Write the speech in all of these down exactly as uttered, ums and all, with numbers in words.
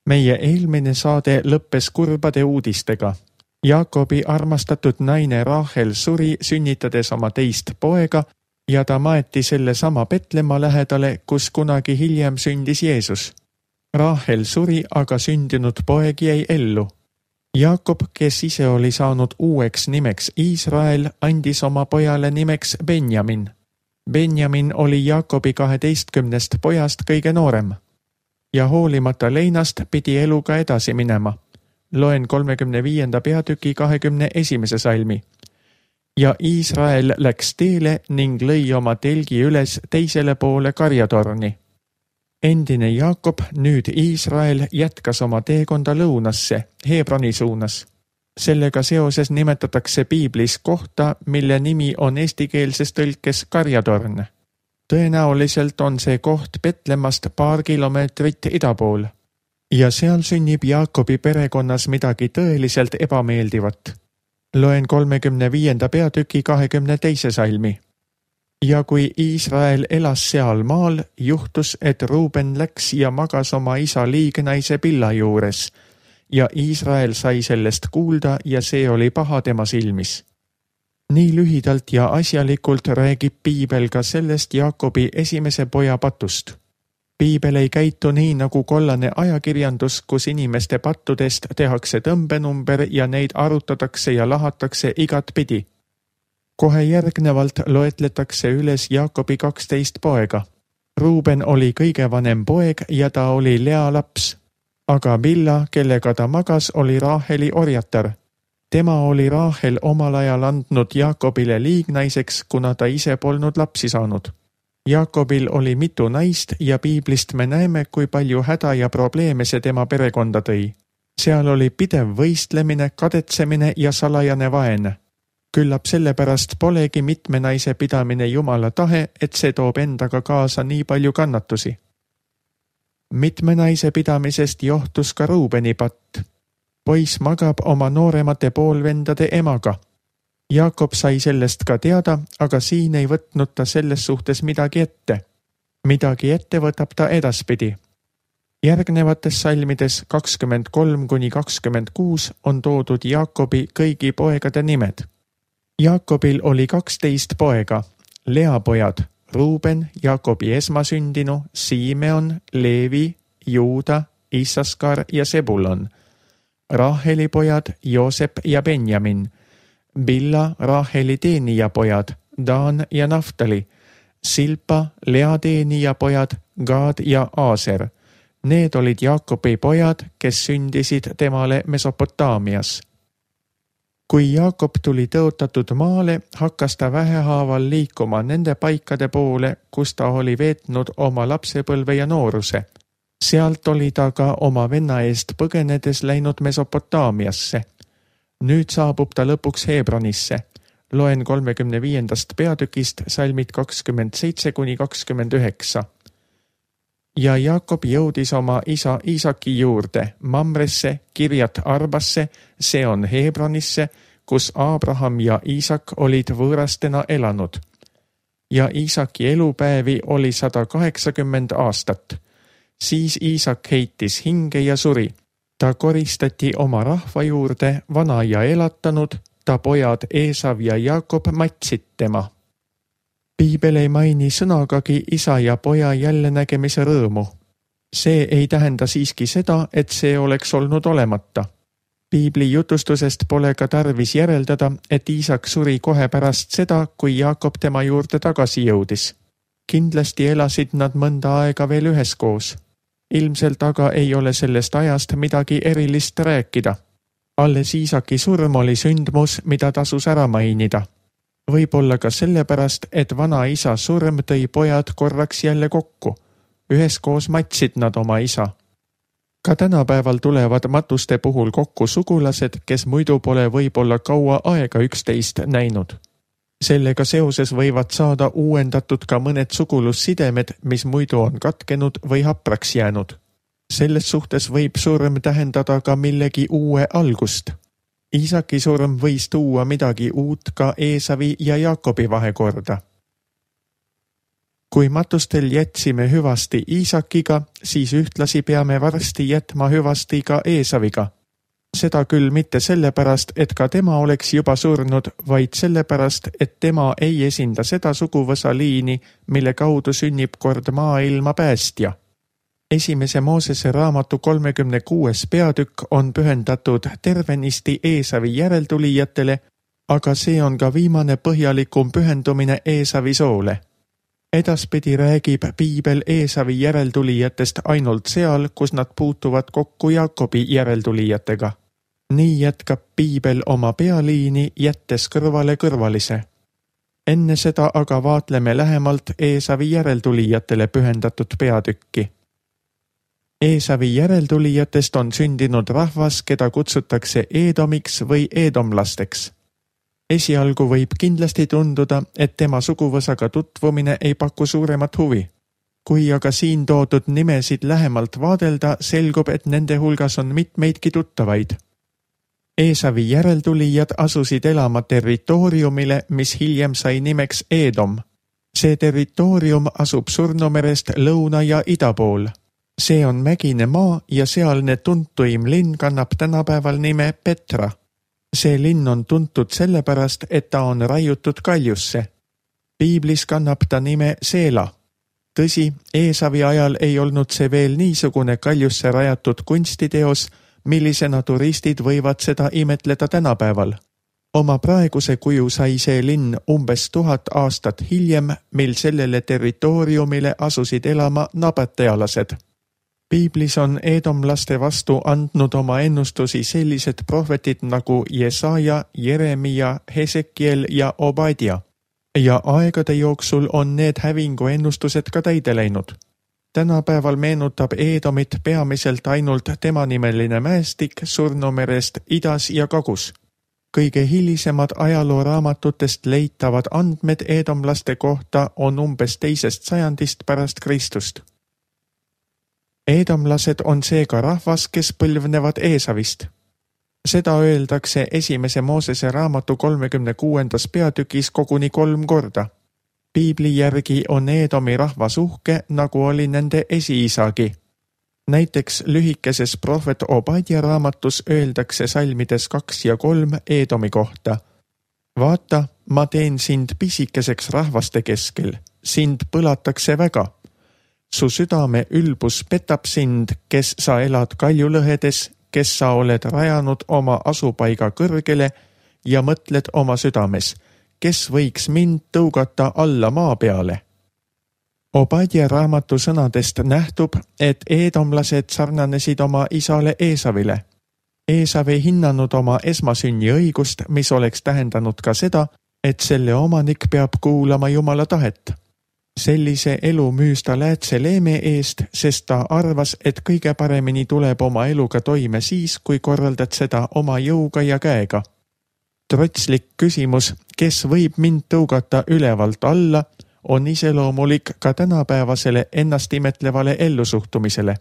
Meie eelmine saade lõppes kurbade uudistega. Jaakobi armastatud naine Rahel suri sünnitades oma teist poega ja ta maeti selle sama Petlemma lähedale, kus kunagi hiljem sündis Jeesus. Rahel suri, aga sündinud poeg jäi ellu. Jaakob, kes ise oli saanud uueks nimeks Iisrael, andis oma pojale nimeks Benjamin. Benjamin oli Jaakobi kaheteistkümnest pojast kõige noorem. Ja hoolimata leinast pidi eluga edasi minema. Loen kolmekümne viienda peatüki kahekümne esimese salmi. Ja Iisrael läks teele ning lõi oma telgi üles teisele poole karjatorni. Endine Jaakob, nüüd Iisrael, jätkas oma teekonda lõunasse, Hebroni suunas. Sellega seoses nimetatakse piiblis kohta, mille nimi on eestikeelses tõlkes karjatorn. Tõenäoliselt on see koht Betlemmast paar kilomeetrit ida pool. Ja seal sünnib Jaakobi perekonnas midagi tõeliselt ebameeldivat. Loen kolmekümne viienda peatüki kahekümne teise salmi. Ja kui Iisrael elas seal maal, juhtus, et Ruuben läks ja magas oma isa liignaise Billa juures. Ja Iisrael sai sellest kuulda ja see oli paha tema silmis. Nii lühidalt ja asjalikult räägib piibel ka sellest Jaakobi esimese poja patust. Piibel ei käitu nii nagu kollane ajakirjandus, kus inimeste pattudest tehakse tõmbenumber ja neid arutatakse ja lahatakse igat pidi. Kohe järgnevalt loetletakse üles Jaakobi kaksteist poega. Ruuben oli kõige vanem poeg ja ta oli Lea laps. Aga Billa, kellega ta magas, oli Raheli orjatar. Tema oli Rahel omal ajal andnud Jaakobile liignaiseks, kuna ta ise polnud lapsi saanud. Jaakobil oli mitu naist ja piiblist me näeme, kui palju häda ja probleeme see tema perekonda tõi. Seal oli pidev võistlemine, kadetsemine ja salajane vaen. Küllap sellepärast polegi mitme naise pidamine Jumala tahe, et see toob endaga kaasa nii palju kannatusi. Mitme naise pidamisest johtus ka Ruubeni patt. Poiss magab oma nooremate poolvendade emaga. Jaakob sai sellest ka teada, aga siin ei võtnud ta selles suhtes midagi ette. Midagi ette võtab ta edaspidi. Järgnevates salmides kakskümmend kolm kuni kakskümmend kuus on toodud Jaakobi kõigi poegade nimed. Jaakobil oli kaksteist poega, Lea pojad, Ruuben, Jaakobi esmasündinu, Simeon, Leevi, Juuda, Issaskar ja Sebulon. Raheli pojad, Joosep ja Benjamin, Billa, Raheli teenija pojad, Daan ja Naftali, Silpa, Lea teenija pojad, Gaad ja Aaser. Need olid Jaakobi pojad, kes sündisid temale Mesopotaamias. Kui Jaakob tuli tõotatud maale, hakkas ta vähehaaval liikuma nende paikade poole, kus ta oli veetnud oma lapsepõlve ja nooruse. Sealt oli ta ka oma venna eest põgenedes läinud Mesopotaamiasse. Nüüd saabub ta lõpuks Hebronisse. Loen kolmekümne viiendast peatükist salmid kakskümmend seitse kuni kakskümmend üheksa. Ja Jaakob jõudis oma isa Iisaki juurde, Mamresse, Kirjat Arbasse, see on Hebronisse, kus Abraham ja Iisak olid võõrastena elanud. Ja Iisaki elupäevi oli sada kaheksakümmend aastat. Siis Iisak heitis hinge ja suri. Ta koristati oma rahva juurde, vana ja elatanud, ta pojad Eesav ja Jaakob matsid tema. Piibel ei maini sõnagagi isa ja poja jälle nägemise rõõmu. See ei tähenda siiski seda, et see oleks olnud olemata. Piibli jutustusest pole ka tarvis järeldada, et Iisak suri kohe pärast seda, kui Jaakob tema juurde tagasi jõudis. Kindlasti elasid nad mõnda aega veel üheskoos. Ilmselt aga ei ole sellest ajast midagi erilist rääkida. Alles Iisaki surm oli sündmus, mida tasus ära mainida. Võib-olla ka sellepärast, et vana isa surm tõi pojad korraks jälle kokku. Üheskoos matsid nad oma isa. Ka tänapäeval tulevad matuste puhul kokku sugulased, kes muidu pole võib-olla kaua aega üksteist näinud. Sellega seoses võivad saada uuendatud ka mõned sugulussidemed, mis muidu on katkenud või hapraks jäänud. Selles suhtes võib surm tähendada ka millegi uue algust. Iisaki surm võis tuua midagi uut ka Eesavi ja Jaakobi vahekorda. Kui matustel jätsime hüvasti Iisakiga, siis ühtlasi peame varsti jätma hüvasti ka Eesaviga. Seda küll mitte sellepärast, et ka tema oleks juba surnud, vaid sellepärast, et tema ei esinda seda suguvõsa liini, mille kaudu sünnib kord maailma päästja. Esimese Moosese raamatu kolmekümne kuues peatükk on pühendatud tervenisti Eesavi järeltulijatele, aga see on ka viimane põhjalikum pühendumine Eesavi soole. Edaspidi räägib piibel Eesavi järeltulijatest ainult seal, kus nad puutuvad kokku Jaakobi järeltulijatega. Nii jätkab piibel oma pealiini, jättes kõrvale kõrvalise. Enne seda aga vaatleme lähemalt Eesavi järeltulijatele pühendatud peatükki. Eesavi järeltulijatest on sündinud rahvas, keda kutsutakse Eedomiks või eedomlasteks. Esialgu võib kindlasti tunduda, et tema suguvõsaga tutvumine ei paku suuremat huvi. Kui aga siin toodud nimesid lähemalt vaadelda, selgub, et nende hulgas on mitmeidki tuttavaid. Eesavi järeltulijad asusid elama territooriumile, mis hiljem sai nimeks Eedom. See territoorium asub Surnumerest lõuna ja ida pool. See on mägine maa ja sealne tuntuim linn kannab tänapäeval nime Petra. See linn on tuntud sellepärast, et ta on raiutud kaljusse. Piiblis kannab ta nime Seela. Tõsi, Eesavi ajal ei olnud see veel niisugune kaljusse rajatud kunstiteos, millisena turistid võivad seda imetleda tänapäeval. Oma praeguse kuju sai see linn umbes tuhat aastat hiljem, mil sellele territooriumile asusid elama nabatealased. Piiblis on eedomlaste vastu andnud oma ennustusi sellised prohvetid nagu Jesaja, Jeremia, Hesekiel ja Obadia. Ja aegade jooksul on need hävingu ennustused ka täide läinud. Tänapäeval meenutab Eedomit peamiselt ainult temanimeline mäestik Surnumerest idas ja kagus. Kõige hilisemad ajalooraamatutest leitavad andmed eedomlaste kohta on umbes teisest sajandist pärast Kristust. Eedomlased on seega rahvas, kes põlvnevad Eesavist. Seda öeldakse esimese Moosese raamatu kolmekümne kuuendas peatükis koguni kolm korda. Piibli järgi on Eedomi rahvas uhke, nagu oli nende esiisagi. Näiteks lühikeses prohvet Obadia raamatus öeldakse salmides kaks ja kolm Eedomi kohta. Vaata, ma teen sind pisikeseks rahvaste keskel, sind põlatakse väga. Su südame ülbus petab sind, kes sa elad kaljulõhedes, kes sa oled rajanud oma asupaiga kõrgele ja mõtled oma südames, kes võiks mind tõugata alla maa peale. Obadia raamatu sõnadest nähtub, et eedomlased sarnanesid oma isale Eesavile. Eesav ei hinnanud oma esmasünni õigust, mis oleks tähendanud ka seda, et selle omanik peab kuulama Jumala tahet. Sellise elu müüs ta läätse leeme eest, sest ta arvas, et kõige paremini tuleb oma eluga toime siis, kui korraldad seda oma jõuga ja käega. Trotslik küsimus, kes võib mind tõugata ülevalt alla, on iseloomulik ka tänapäevasele ennast imetlevale ellusuhtumisele.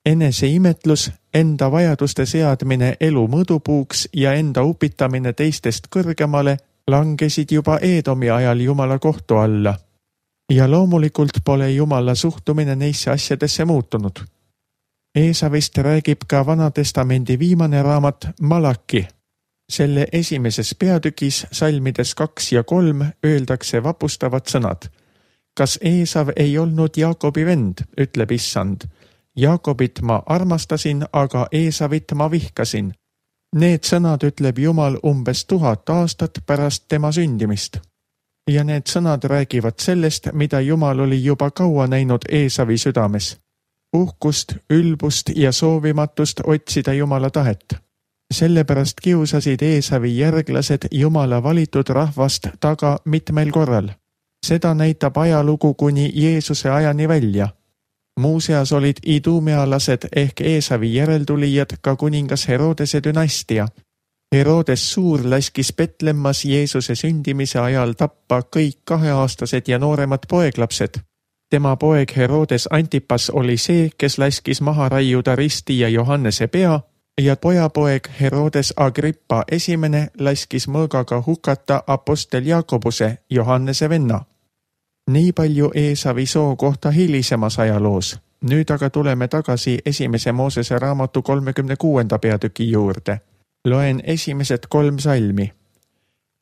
Enese imetlus, enda vajaduste seadmine elu mõõdupuuks ja enda upitamine teistest kõrgemale langesid juba Eedomi ajal Jumala kohtu alla. Ja loomulikult pole Jumala suhtumine neisse asjadesse muutunud. Eesavist räägib ka Vanatestamendi viimane raamat Malaki. Selle esimeses peatükis salmides kaks ja kolm öeldakse vapustavad sõnad. Kas Eesav ei olnud Jaakobi vend, ütleb Issand. Jaakobit ma armastasin, aga Eesavit ma vihkasin. Need sõnad ütleb Jumal umbes tuhat aastat pärast tema sündimist. Ja need sõnad räägivad sellest, mida Jumal oli juba kaua näinud Eesavi südames. Uhkust, ülbust ja soovimatust otsida Jumala tahet. Sellepärast kiusasid Eesavi järglased Jumala valitud rahvast taga mitmel korral. Seda näitab ajalugu kuni Jeesuse ajani välja. Muuseas olid idumealased ehk Eesavi järeltulijad ka kuningas Herodese dünastia. Herodes Suur laskis Betlemmas Jeesuse sündimise ajal tappa kõik kaheaastased ja nooremad poeglapsed. Tema poeg Herodes Antipas oli see, kes laskis maha raiuda Risti ja Johannese pea ja pojapoeg Herodes Agrippa esimene laskis mõõgaga hukata apostel Jaakobuse, Johannese venna. Nii palju Eesavi soo kohta hilisemas ajaloos. Nüüd aga tuleme tagasi esimese Moosese raamatu kolmekümne kuuenda peatüki juurde. Loen esimesed kolm salmi.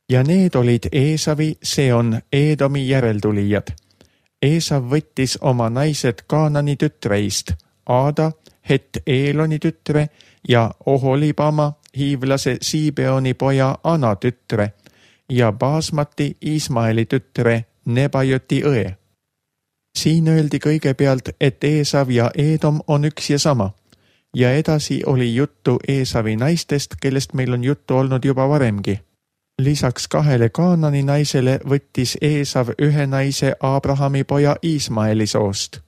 Ja need olid Eesavi, see on Eedomi järeltulijad. Eesav võttis oma naised Kaanani tütreist, Aada, Het Eeloni tütre ja Oholibama, hiivlase Siibeoni poja Ana tütre ja Baasmati Ismaeli tütre Nebajoti õe. Siin öeldi kõigepealt, et Eesav ja Eedom on üks ja sama. Ja edasi oli juttu Eesavi naistest, kellest meil on juttu olnud juba varemgi. Lisaks kahele Kaanani naisele võttis Eesav ühe naise Abrahami poja Ismaeli soost.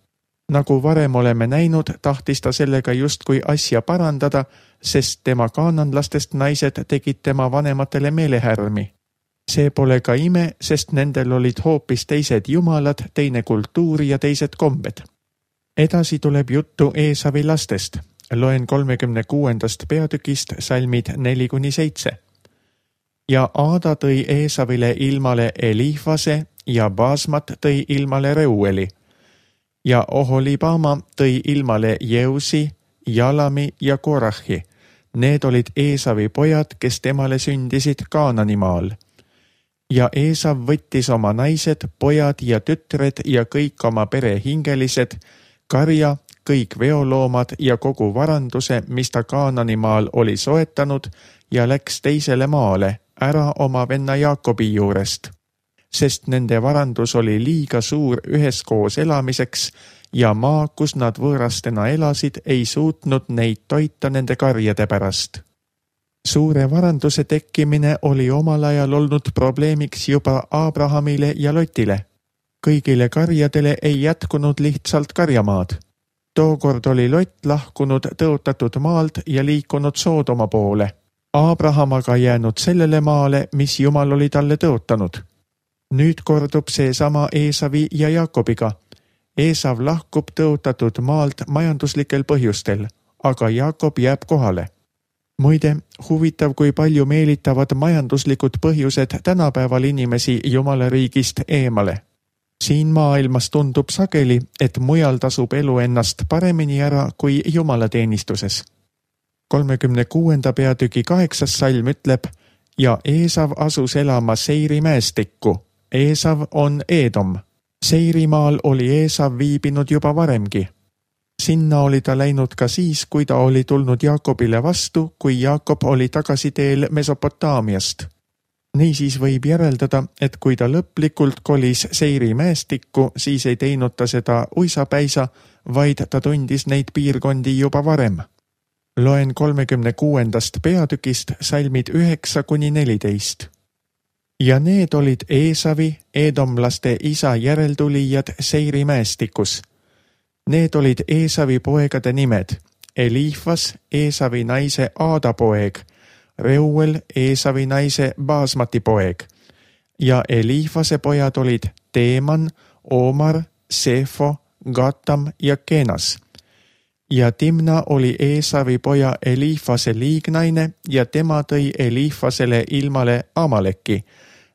Nagu varem oleme näinud, tahtis ta sellega justkui asja parandada, sest tema kaananlastest naised tegid tema vanematele meelehärmi. See pole ka ime, sest nendel olid hoopis teised jumalad, teine kultuur ja teised kombed. Edasi tuleb juttu Eesavi lastest. Loen kolmekümne kuuendast peatükist salmid neli kuni seitse. Ja Aada tõi Eesavile ilmale Elifase ja Baasmat tõi ilmale Reueli. Ja Oholibama tõi ilmale Jeusi, Jalami ja Korahi. Need olid Eesavi pojad, kes temale sündisid Kaananimaal. Ja Eesav võttis oma naised, pojad ja tütred ja kõik oma pere hingelised, karja, kõik veoloomad ja kogu varanduse, mis ta Kaananimaal oli soetanud ja läks teisele maale, ära oma venna Jaakobi juurest. Sest nende varandus oli liiga suur üheskoos elamiseks ja maa, kus nad võõrastena elasid, ei suutnud neid toita nende karjade pärast. Suure varanduse tekkimine oli omal ajal olnud probleemiks juba Abrahamile ja Lotile. Kõigile karjadele ei jätkunud lihtsalt karjamaad. Tookord oli Lott lahkunud tõotatud maalt ja liikunud Soodoma poole. Abraham aga jäänud sellele maale, mis Jumal oli talle tõotanud. Nüüd kordub see sama Eesavi ja Jaakobiga. Eesav lahkub tõotatud maalt majanduslikel põhjustel, aga Jaakob jääb kohale. Muide, huvitav, kui palju meelitavad majanduslikud põhjused tänapäeval inimesi Jumala riigist eemale. Siin maailmas tundub sageli, et mujal tasub elu ennast paremini ära kui Jumala teenistuses. kolmekümne kuuenda peatüki kaheksas salm ütleb, ja Eesav asus elama Seiri mäestikku. Eesav on Eedom. Seirimaal oli Eesav viibinud juba varemgi. Sinna oli ta läinud ka siis, kui ta oli tulnud Jaakobile vastu, kui Jaakob oli tagasi teel Mesopotaamiast. Niisiis võib järeldada, et kui ta lõplikult kolis Seiri mäestikku, siis ei teinud ta seda uisapäisa, vaid ta tundis neid piirkondi juba varem. Loen kolmekümne kuuendast peatükist salmid üheksa kuni neliteist. Ja need olid Eesavi, eedomlaste isa järeltulijad Seiri mäestikus. Need olid Eesavi poegade nimed, Elifas, Eesavi naise Aada poeg, Reuel, Eesavi naise Baasmati poeg, ja Elifase pojad olid Teeman, Omar, Sefo, Gatam ja Kenas. Ja Timna oli Eesavi poja Elifase liignaine ja tema tõi Elifasele ilmale Amaleki.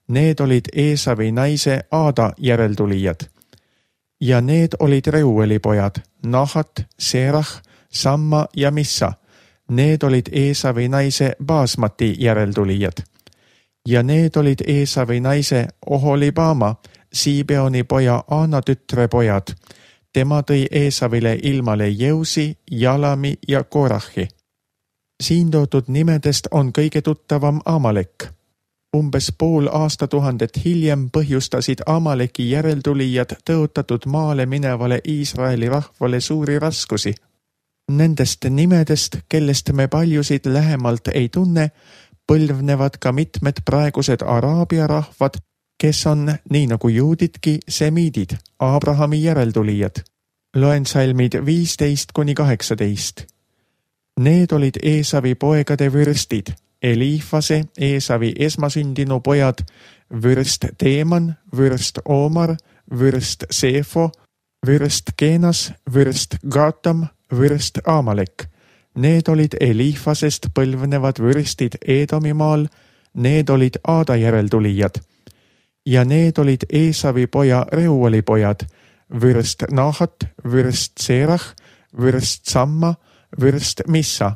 Need olid Eesavi naise Aada järeltulijad. Ja need olid Reueli pojad, Nahat, Serah, Samma ja Missa. Need olid Eesavi naise Baasmati järeltulijad. Ja need olid Eesavi naise Oholibama, Siibeoni poja Aana tütre pojad. Tema tõi Eesavile ilmale Jeusi, Jalami ja Korahi. Siin toodud nimedest on kõige tuttavam Amalek. Umbes pool aastatuhandet hiljem põhjustasid Amaleki järeltulijad tõotatud maale minevale Iisraeli rahvale suuri raskusi. Nendest nimedest, kellest me paljusid lähemalt ei tunne, põlvnevad ka mitmed praegused Araabia rahvad, kes on, nii nagu juudidki, semiidid, Abrahami järeltulijad. Loen salmid viisteist kuni kaheksateist. Need olid Eesavi poegade vürstid, Elifase, Eesavi esmasündinu pojad, vürst Teeman, vürst Omar, vürst Sefo, vürst Kenas, vürst Gatam, vürst Amalek. Need olid Elifasest põlvnevad vürstid Eedomimaal, need olid Aada järeltulijad. ja need olid Eesavi poja Reueli pojad, vürst Nahat, vürst Serach, vürst Samma, vürst Missa.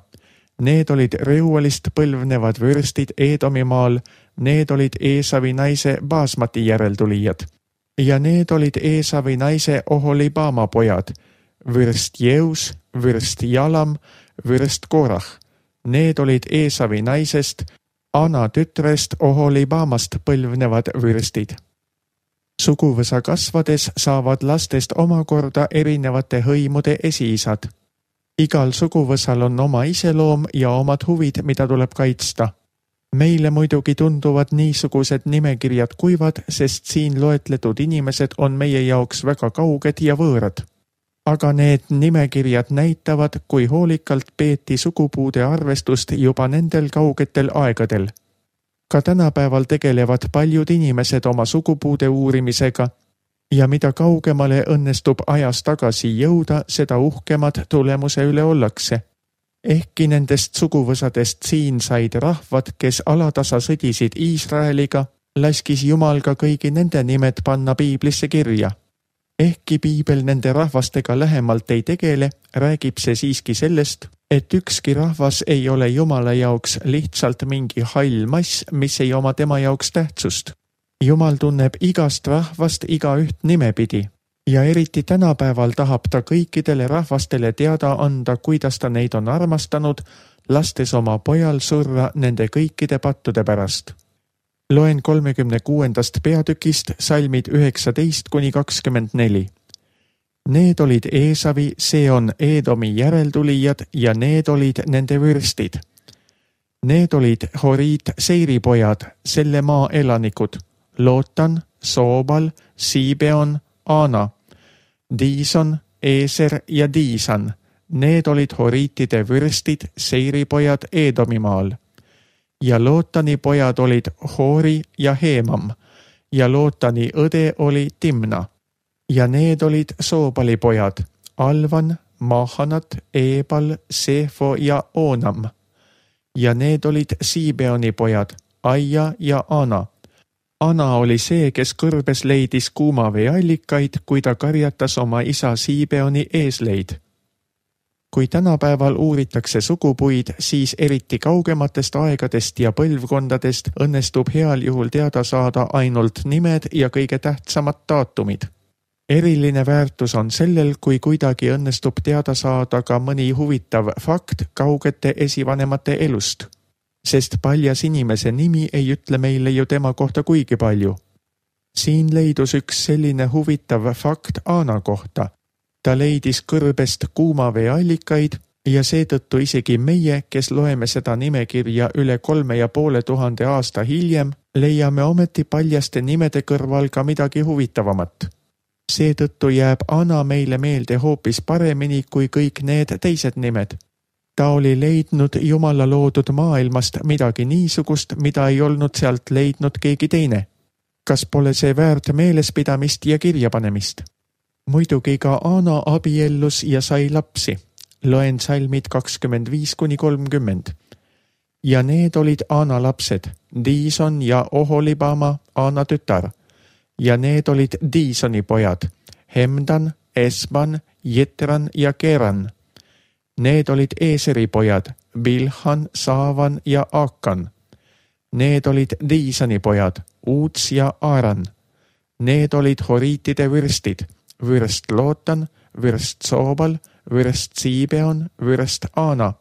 Need olid Reuelist põlvnevad vürstid Eedomimaal, need olid Eesavi naise Baasmati järeltulijad. Ja need olid Eesavi naise Oholibama pojad, vürst Jeus, vürst Jalam, vürst Korah. Need olid Eesavi naisest, Ana tütrest Oholibamast põlvnevad vürstid. Suguvõsa kasvades saavad lastest omakorda erinevate hõimude esiisad. Igal suguvõsal on oma iseloom ja omad huvid, mida tuleb kaitsta. Meile muidugi tunduvad niisugused nimekirjad kuivad, sest siin loetletud inimesed on meie jaoks väga kauged ja võõrad. Aga need nimekirjad näitavad, kui hoolikalt peeti sugupuude arvestust juba nendel kaugetel aegadel. Ka tänapäeval tegelevad paljud inimesed oma sugupuude uurimisega ja mida kaugemale õnnestub ajas tagasi jõuda, seda uhkemad tulemuse üle ollakse. Ehkki nendest suguvõsadest siin said rahvad, kes alatasa sõdisid Iisraeliga, laskis Jumal ka kõigi nende nimed panna piiblisse kirja. Ehkki piibel nende rahvastega lähemalt ei tegele, räägib see siiski sellest, et ükski rahvas ei ole Jumala jaoks lihtsalt mingi hall mass, mis ei oma tema jaoks tähtsust. Jumal tunneb igast rahvast igaüht nimepidi ja eriti tänapäeval tahab ta kõikidele rahvastele teada anda, kuidas ta neid on armastanud, lastes oma pojal surra nende kõikide pattude pärast. Loen kolmekümne kuuendast peatükist salmid üheksateist kuni kakskümmend neli. Need olid Eesavi, see on Eedomi järeltulijad ja need olid nende vürstid. Need olid Horiit Seiri pojad, selle maa elanikud, Lootan, Soobal, Siibeon, Aana, Diison, Eeser ja Diisan. Need olid Horiitide vürstid, Seiri pojad Eedomimaal. Ja Lootani pojad olid Hoori ja Heemam ja Lootani õde oli Timna. Ja need olid Soobali pojad, Alvan, Mahanat, Eebal, Sefo ja Oonam. Ja need olid Siibeoni pojad, Aia ja Ana. Ana oli see, kes kõrbes leidis kuuma veeallikaid, kui ta karjatas oma isa Siibeoni eesleid. Kui tänapäeval uuritakse sugupuid, siis eriti kaugematest aegadest ja põlvkondadest õnnestub heal juhul teada saada ainult nimed ja kõige tähtsamad daatumid. Eriline väärtus on sellel, kui kuidagi õnnestub teada saada ka mõni huvitav fakt kaugete esivanemate elust, sest paljas inimese nimi ei ütle meile ju tema kohta kuigi palju. Siin leidus üks selline huvitav fakt Aana kohta. Ta leidis kõrbest kuuma veeallikaid ja seetõttu isegi meie, kes loeme seda nimekirja üle kolme ja poole tuhande aasta hiljem, leiame ometi paljaste nimede kõrval ka midagi huvitavamat. Seetõttu jääb Ana meile meelde hoopis paremini kui kõik need teised nimed. Ta oli leidnud Jumala loodud maailmast midagi niisugust, mida ei olnud sealt leidnud keegi teine. Kas pole see väärt meelespidamist ja kirjapanemist? Muidugi ka Ana abiellus ja sai lapsi. Loen salmid kakskümmend viis kuni kolmkümmend. Ja need olid Ana lapsed, Diison ja Oholibama, Ana tütar. Ja need olid Diisoni pojad, Hemdan, Esban, Jetran ja Keran. Need olid Eeseri pojad, Bilhan, Saavan ja Aakan. Need olid Diisoni pojad, Uuts ja Aaran. Need olid Horiitide vürstid, vürst Lootan, vürst Soobal, vürst Siibeon, vürst Aana,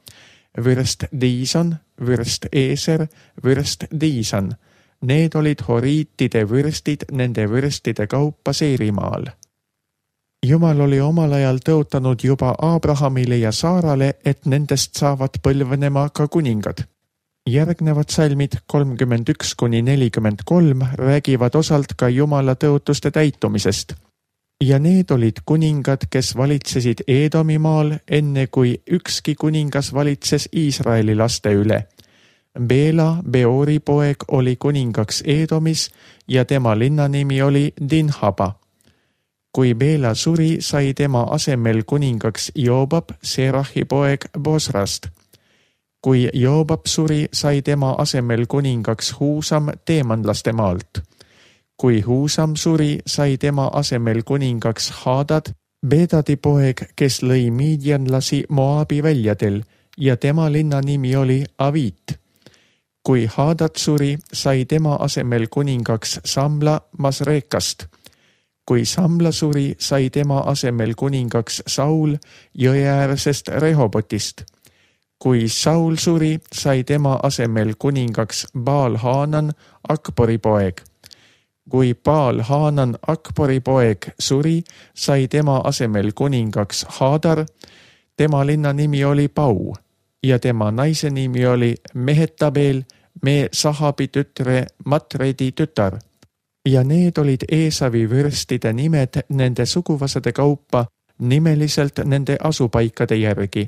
vürst Diison, vürst Eeser, vürst Diisan. Need olid Horiitide vürstid nende vürstide kaupa Seirimaal. Jumal oli omal ajal tõotanud juba Abrahamile ja Saarale, et nendest saavad põlvenema ka kuningad. Järgnevad salmid kolmkümmend üks kuni nelikümmend kolm räägivad osalt ka Jumala tõotuste täitumisest. Ja need olid kuningad, kes valitsesid Eedomimaal, enne kui ükski kuningas valitses Iisraeli laste üle. Beela, Beori poeg, oli kuningaks Eedomis ja tema linnanimi oli Dinhaba. Kui Beela suri, sai tema asemel kuningaks Joobab, Serahi poeg Bosrast. Kui Joobab suri, sai tema asemel kuningaks Huusam teemanlaste maalt. Kui Huusam suri, sai tema asemel kuningaks Hadad, Bedadi poeg, kes lõi miidjanlasi Moabi väljadel ja tema linna nimi oli Avit. Kui Hadad suri, sai tema asemel kuningaks Samla Masrekast. Kui Samla suri, sai tema asemel kuningaks Saul jõeäärsest Rehobotist. Kui Saul suri, sai tema asemel kuningaks Baal-Haanan, Akbori poeg. Kui Baal-Haanan, Akbori poeg suri, sai tema asemel kuningaks Hadar. Tema linna nimi oli Pau ja tema naise nimi oli Mehetabel, me Sahabi tütre Matredi tütar. Ja need olid Eesavi vürstide nimed nende suguvõsade kaupa nimeliselt nende asupaikade järgi.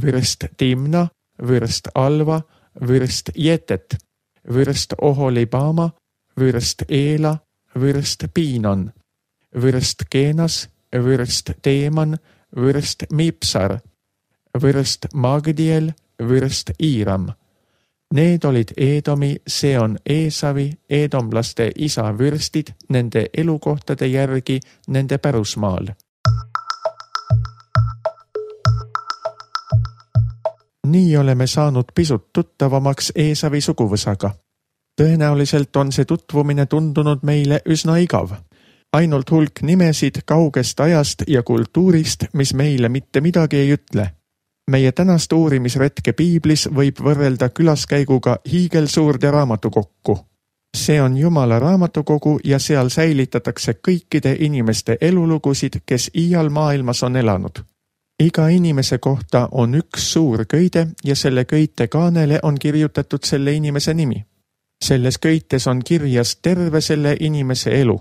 Vürst Timna, vürst Alva, vürst Jetet, vürst Oholibama, vürst Eela, vürst Piinon, vürst Keenas, vürst Teeman, vürst Mipsar, vürst Magdiel, vürst Iiram. Need olid Eedomi, see on Eesavi, eedomlaste isa vürstid nende elukohtade järgi nende pärusmaal. Nii oleme saanud pisut tuttavamaks Eesavi suguvõsaga. Tõenäoliselt on see tutvumine tundunud meile üsna igav. Ainult hulk nimesid kaugest ajast ja kultuurist, mis meile mitte midagi ei ütle. Meie tänast uurimisretke Piiblis võib võrrelda külaskäiguga hiigelsuurde raamatukokku. See on Jumala raamatukogu ja seal säilitatakse kõikide inimeste elulugusid, kes iial maailmas on elanud. Iga inimese kohta on üks suur köide ja selle köite kaanele on kirjutatud selle inimese nimi. Selles köites on kirjas terve selle inimese elu,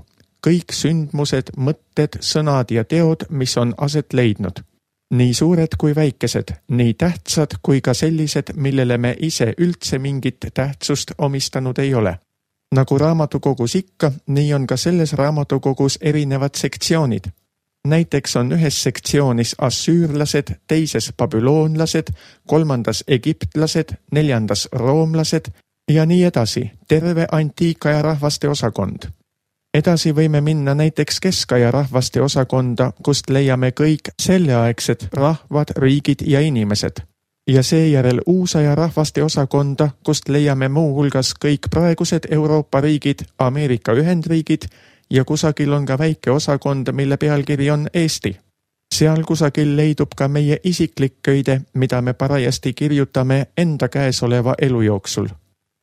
kõik sündmused, mõtted, sõnad ja teod, mis on aset leidnud. Nii suured kui väikesed, nii tähtsad kui ka sellised, millele me ise üldse mingit tähtsust omistanud ei ole. Nagu raamatukogus ikka, nii on ka selles raamatukogus erinevad sektsioonid. Näiteks on ühes sektsioonis assüürlased, teises babüloonlased, kolmandas egiptlased, neljandas roomlased ja nii edasi, terve antiikaja rahvaste osakond. Edasi võime minna näiteks keskaja rahvaste osakonda, kust leiame kõik selleaegsed rahvad, riigid ja inimesed. Ja seejärel uusaja rahvaste osakonda, kust leiame muu hulgas kõik praegused Euroopa riigid, Ameerika Ühendriigid ja kusagil on ka väike osakond, mille pealkiri on Eesti. Seal kusagil leidub ka meie isiklik köide, mida me parajasti kirjutame enda käesoleva elu jooksul.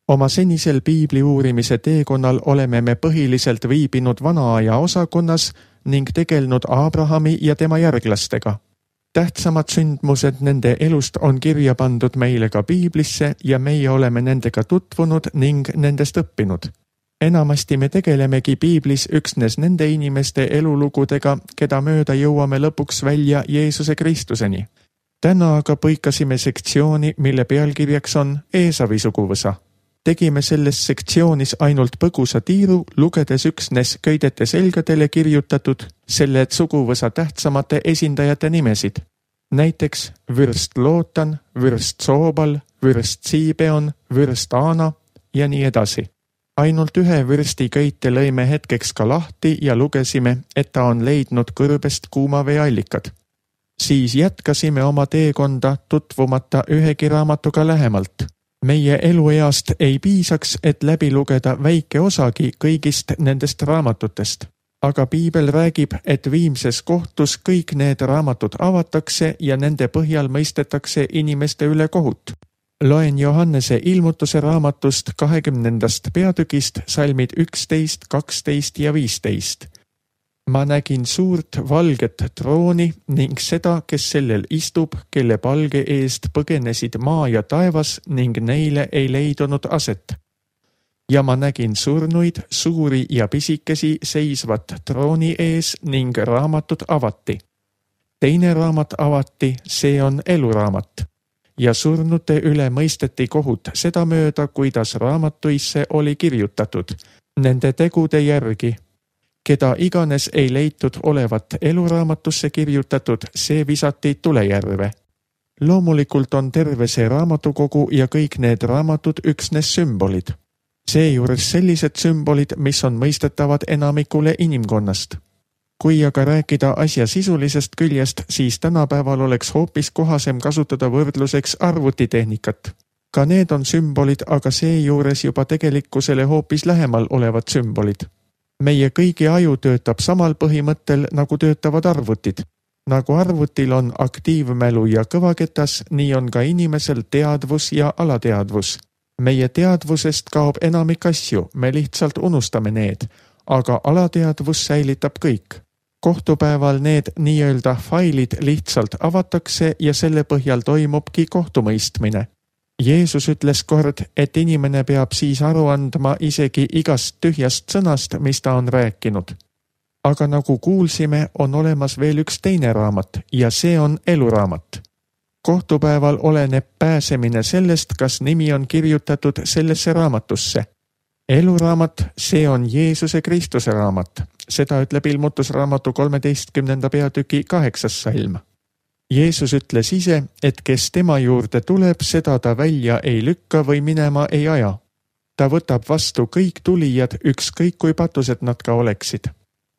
Oma senisel piibli uurimise teekonnal oleme me põhiliselt viibinud vanaaja osakonnas ning tegelnud Abrahami ja tema järglastega. Tähtsamad sündmused nende elust on kirja pandud meile ka piiblisse ja meie oleme nendega tutvunud ning nendest õppinud. Enamasti me tegelemegi piiblis üksnes nende inimeste elulugudega, keda mööda jõuame lõpuks välja Jeesuse Kristuseni. Täna aga põikasime sektsiooni, mille pealkirjaks on Eesavi suguvõsa. Tegime selles sektsioonis ainult põgusa tiiru, lugedes üksnes köidete selgadele kirjutatud selle suguvõsa tähtsamate esindajate nimesid. Näiteks vürst Lootan, vürst Soobal, vürst Siibeon, vürst Aana ja nii edasi. Ainult ühe vürsti köite lõime hetkeks ka lahti ja lugesime, et ta on leidnud kõrbest kuumaveeallikad. Siis jätkasime oma teekonda tutvumata ühegi raamatuga lähemalt. Meie elueast ei piisaks, et läbi lugeda väike osagi kõigist nendest raamatutest. Aga piibel räägib, et viimses kohtus kõik need raamatud avatakse ja nende põhjal mõistetakse inimeste üle kohut. Loen Johannese ilmutuse raamatust kahekümnendast peatükist salmid üksteist, kaksteist ja viisteist. Ma nägin suurt valget trooni ning seda, kes sellel istub, kelle palge eest põgenesid maa ja taevas ning neile ei leidunud aset. Ja ma nägin surnuid, suuri ja pisikesi seisvat trooni ees ning raamatud avati. Teine raamat avati, see on eluraamat. Ja surnute üle mõisteti kohut seda mööda, kuidas raamatuisse oli kirjutatud, nende tegude järgi. Keda iganes ei leitud olevat eluraamatusse kirjutatud, see visati tulejärve. Loomulikult on terve see raamatukogu ja kõik need raamatud üksnes sümbolid. Seejuures sellised sümbolid, mis on mõistetavad enamikule inimkonnast. Kui aga rääkida asja sisulisest küljest, siis tänapäeval oleks hoopis kohasem kasutada võrdluseks arvutitehnikat. Ka need on sümbolid, aga seejuures juba tegelikkusele hoopis lähemal olevad sümbolid. Meie kõigi aju töötab samal põhimõttel, nagu töötavad arvutid. Nagu arvutil on aktiivmälu ja kõvaketas, nii on ka inimesel teadvus ja alateadvus. Meie teadvusest kaob enamik asju, me lihtsalt unustame need, aga alateadvus säilitab kõik. Kohtupäeval need nii-öelda failid lihtsalt avatakse ja selle põhjal toimubki kohtumõistmine. Jeesus ütles kord, et inimene peab siis aru andma isegi igast tühjast sõnast, mis ta on rääkinud. Aga nagu kuulsime, on olemas veel üks teine raamat ja see on eluraamat. Kohtupäeval oleneb pääsemine sellest, kas nimi on kirjutatud sellesse raamatusse. Eluraamat, see on Jeesuse Kristuse raamat. Seda ütleb ilmutusraamatu kolmeteistkümnenda peatüki kaheksas salm. Jeesus ütles ise, et kes tema juurde tuleb, seda ta välja ei lükka või minema ei aja. Ta võtab vastu kõik tulijad, ükskõik kui patused nad ka oleksid.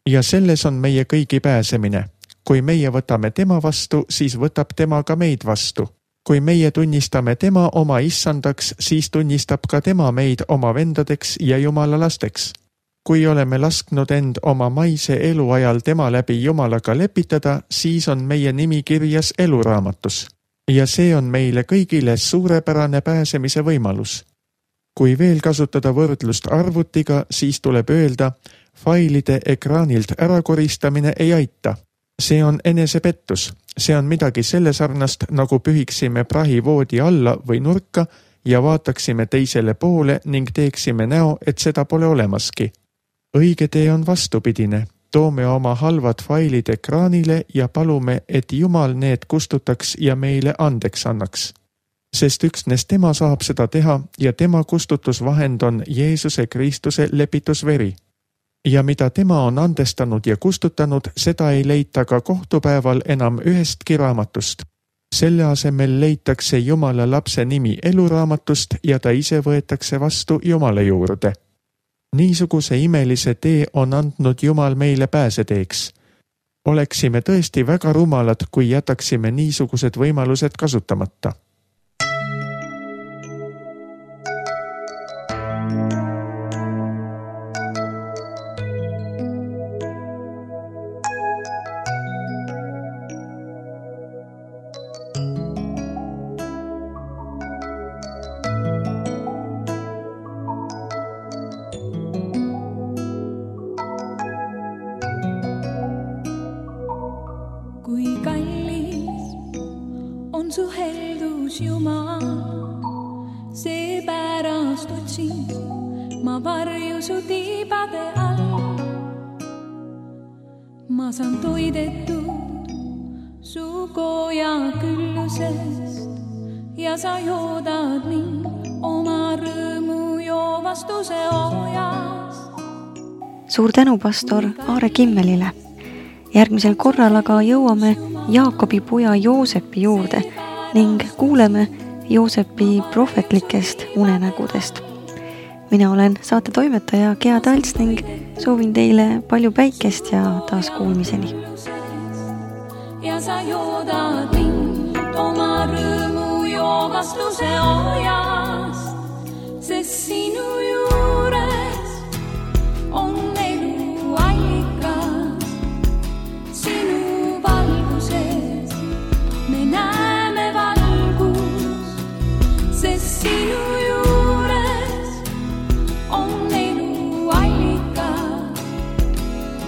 Ja selles on meie kõigi pääsemine. Kui meie võtame tema vastu, siis võtab tema ka meid vastu. Kui meie tunnistame tema oma issandaks, siis tunnistab ka tema meid oma vendadeks ja Jumala lasteks. Kui oleme lasknud end oma maise eluajal tema läbi Jumalaga lepitada, siis on meie nimi kirjas eluraamatus. Ja see on meile kõigile suurepärane pääsemise võimalus. Kui veel kasutada võrdlust arvutiga, siis tuleb öelda, failide ekraanilt ärakoristamine ei aita. See on enesepettus. See on midagi selle sarnast, nagu pühiksime prahi voodi alla või nurka ja vaataksime teisele poole ning teeksime näo, et seda pole olemaski. Õige tee on vastupidine. Toome oma halvad failid ekraanile ja palume, et Jumal need kustutaks ja meile andeks annaks. Sest üksnes tema saab seda teha ja tema kustutusvahend on Jeesuse Kristuse lepitusveri. Ja mida tema on andestanud ja kustutanud, seda ei leita ka kohtupäeval enam ühestki raamatust. Selle asemel leitakse Jumala lapse nimi eluraamatust ja ta ise võetakse vastu Jumala juurde. Niisuguse imelise tee on andnud Jumal meile pääseteeks. Oleksime tõesti väga rumalad, kui jätaksime niisugused võimalused kasutamata. Kui kallis on su heldus, Jumal, seepärast otsin ma varju su tiibade all. Ma saan toidetud su koja küllusest ja sa joodad mind oma rõõmu joo vastuse ojast. Suur tänu pastor Aare Kimmelile. Järgmisel korral aga jõuame Jaakobi poja Joosepi juurde ning kuuleme Joosepi prohvetlikest unenägudest. Mina olen saate toimetaja Gea Talts ning soovin teile palju päikest ja taas kuulmiseni. Ja sa joodad mind oma rõõmu joo vastuse ojast, sest sinu juures on elu allikas. Sinu valguses me näeme valgus, sest sinu juures on elu allikas.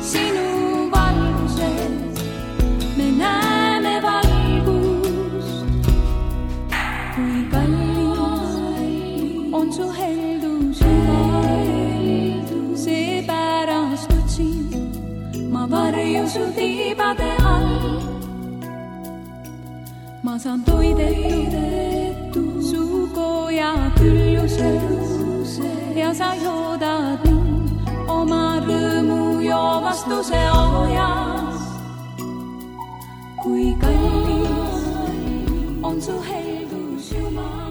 Sinu valguses me näeme valgust. Kui kallis on su heldus, seepärast otsin ma varju su tiibade all. Ma saan toidetud su koja külluses ja sa joodad mind oma rõõmu joo vastuse ojas. Kui kallis on su heldus, Jumal.